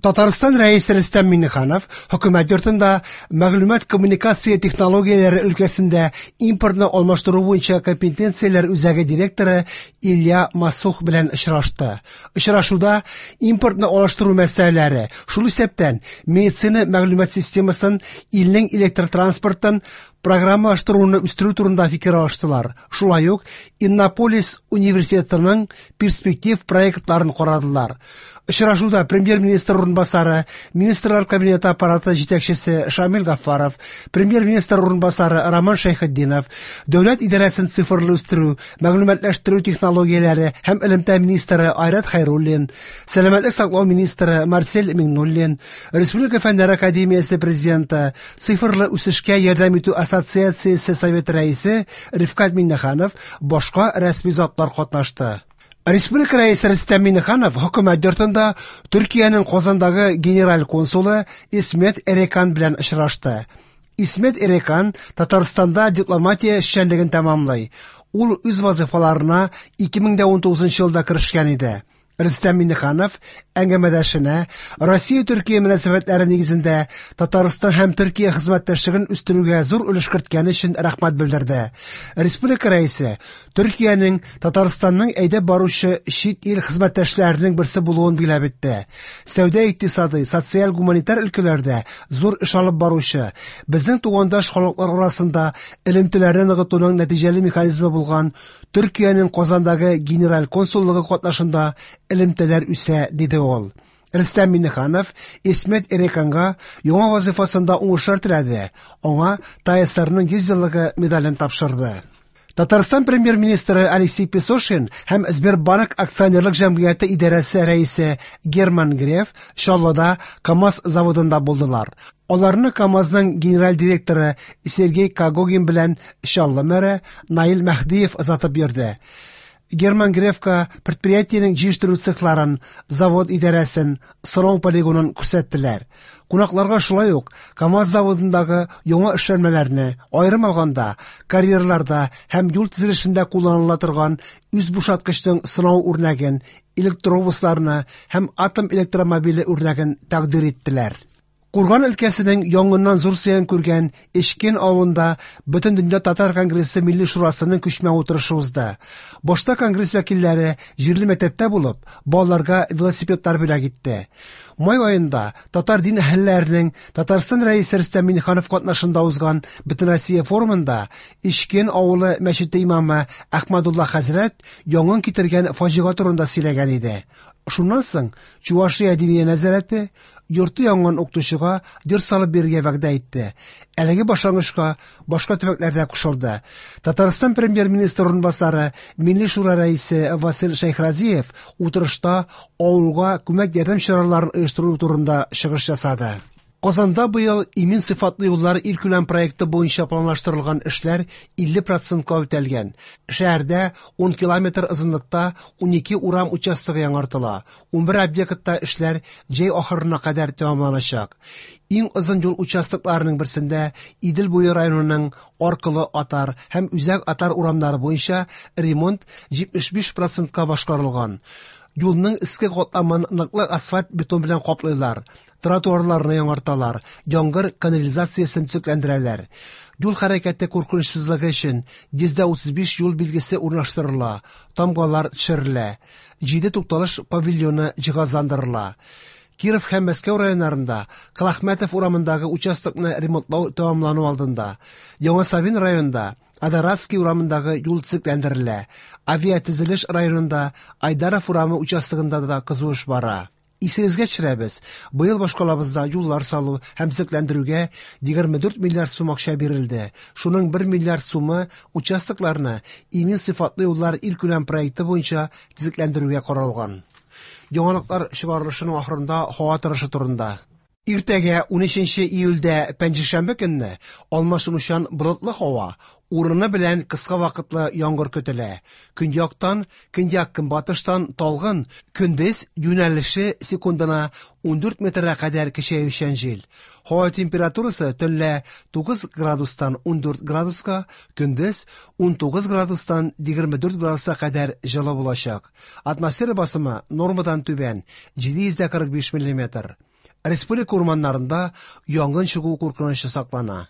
Татарстан Рәисе Рөстәм Миңнеханов Хөкүмәт йортында мәгълүмат-коммуникация технологияләре өлкәсендә импортны алмаштыру буенча компетенцияләр үзәге директоры Илья Массух белән очрашты. Очрашуда импортны алыштыру мәсьәләләре, шул исәптән медицина мәгълүмат системасын, илнең электр транспортын программалаштыруны үстерү турында фикер алыштылар. Шулай ук Иннополис университетының перспектив проектларын карадылар. Очрашуда премьер-министр урынбасары, Министрлар кабинеты аппараты җитәкчесе Шамил Гафаров, премьер-министр урынбасары Роман Шәйхетдинов, дәүләт идарәсен цифрлы үстерү, мәгълүматлаштыру технологияләре һәм элемтә министры Айрат Хәйруллин, сәламәтлек саклау министры Марсель Миңнуллин, Республика фәннәр академиясе президенты, цифрлы үсешкә ярдәм итү ассоциациясе советы рәисе Рифкать Миңнеханов, башка рәсми затлар катнашты. Республика Рәисе Рөстәм Миңнеханов Хөкүмәт йортында Төркиянең Казандагы генераль консулы Исмет Эрекан белән очрашты. Исмет Эрекан Татарстанда дипломатия эшчәнлеген тәмамлый. Ул үз вазифаларына 2019 елда керешкән иде. Рөстәм Миңнеханов әңгәмәдәшенә Россия-Төркия мөнәсәбәтләре нигезендә Татарстан һәм Төркия хезмәттәшлеген үстерүгә зур өлеш керткәне өчен рәхмәт белдерде. Республика Рәисе Төркиянең Татарстанның әйдәп баручы чит ил хезмәттәшләренең берсе булуын билгеләп үтте. Сәүдә-икътисадый, социаль-гуманитар өлкәләрдә зур эш алып баручы, безнең тугандаш халыклар арасында элемтәләрне ныгытуның нәтиҗәле механизмы булган Төркиянең Казандагы генераль консуллыгы катнашында элемтәләр үсә, диде ул. Рөстәм Миңнеханов Исмет Эреканга яңа вазифасында уңышлар теләде. Аңа ТАССРның 100 еллыгы медален тапшырды. Татарстан премьер-министры Алексей Песошин һәм Сбербанк акционерлык җәмгыяте идарәсе рәисе Герман Греф Чаллыда КАМАЗ заводында булдылар. Аларны КАМАЗның генераль директоры Сергей Когогин белән Чаллы мэры Наил Мәһдиев озатып йөрде. Герман Грефка предприятиенең җыештыру цехларын, завод идарәсен, сынау полигонын күрсәттеләр. Кунакларга шулай ук КАМАЗ заводындагы яңа эшләнмәләрне, аерым алганда, карьерларда һәм юл төзелешендә кулланыла торган үз бушаткычның сынау үрнәген, электробусларны һәм атом электромобиле үрнәген тәкъдир иттеләр. Курган өлкәсенең янгыннан зур зыян күргән Эчкен авылында Бөтендөнья татар конгрессы Милли шурасының күчмә утырышы узды. Башта конгресс вәкилләре җирле мәктәптә булып, балаларга велосипедлар бүләк итте. Май аенда татар дин әһелләренең Татарстан Рәисе Рөстәм Миңнеханов катнашында узган Бөтенроссия форумында Эчкен авылы мәчете имамы Әхмәдулла хәзрәт янгын китергән фаҗига турында сөйләгән иде. Шуннан соң Чувашия диния нәзарәте йорты янган укытучыга йорт салып бирергә вәгъдә итте. Әлеге башлангычка башка төбәкләр дә кушылды. Татарстан премьер-министры урынбасары, Милли шура рәисе Васил Шәйхразиев утырышта авылга күмәк ярдәм чараларын оештыру турында чыгыш ясады. Казанда быел имин сыйфатлы юллар илкүләм проекты буенча планлаштырылган эшләр 50%ка үтәлгән. Шәһәрдә 10 километр озынлыкта 12 урам участогы яңартыла. 11 объектта эшләр җәй ахырына кадәр тәмамланачак. Иң озын юл участокларының берсендә Идел буе районының Аркылы Атар һәм Үзәк Атар урамнары буенча ремонт 75%ка башкарылган. Юлның өске катламын ныклы асфальт бетон белән каплыйлар, тротуарларны яңарталар, яңгыр канализациясен төзекләндерәләр. Юл хәрәкәте куркынычсызлыгы өчен 135 юл билгесе урнаштырыла, тамгалар төшерелә, 7 тукталыш павильоны җиһазландырыла. Киров һәм Мәскәү районнарында Колахмәтов урамындагы участокны ремонтлау тәмамлану алдында. Яңа Савин районында Адаратский урамындагы юл төзекләндерелә. Авиатөзелеш районында Айдаров урамы участогында да кызу эш бара. Исегезгә төшерәбез, быел башкалабызда юллар салу һәм төзекләндерүгә 24 миллиард сум акча бирелде. Шуның 1 миллиард сумы участокларны имин сыйфатлы юллар илкүләм проекты буенча төзекләндерүгә каралган. Яңалыклар чыгарылышының ахырында һава торышы турында. Иртәгә 13 июльдә пәнҗешәмбе көнне алмашынучан болытлы һава, урыны белән кыска вакытлы яңгыр көтелә. Көньяктан, көньяк-көнбатыштан талгын, көндез юнәлеше секундына 14 метрга кадәр көчәючән җил. Һава температурасы төнлә 9 градустан 14 градуска, көндез 19 градустан 24 градуска кадәр җылы булачак. Атмосфера басымы нормадан түбән 745 миллиметр. Республика урманнарында янгын чыгу куркынычы саклана.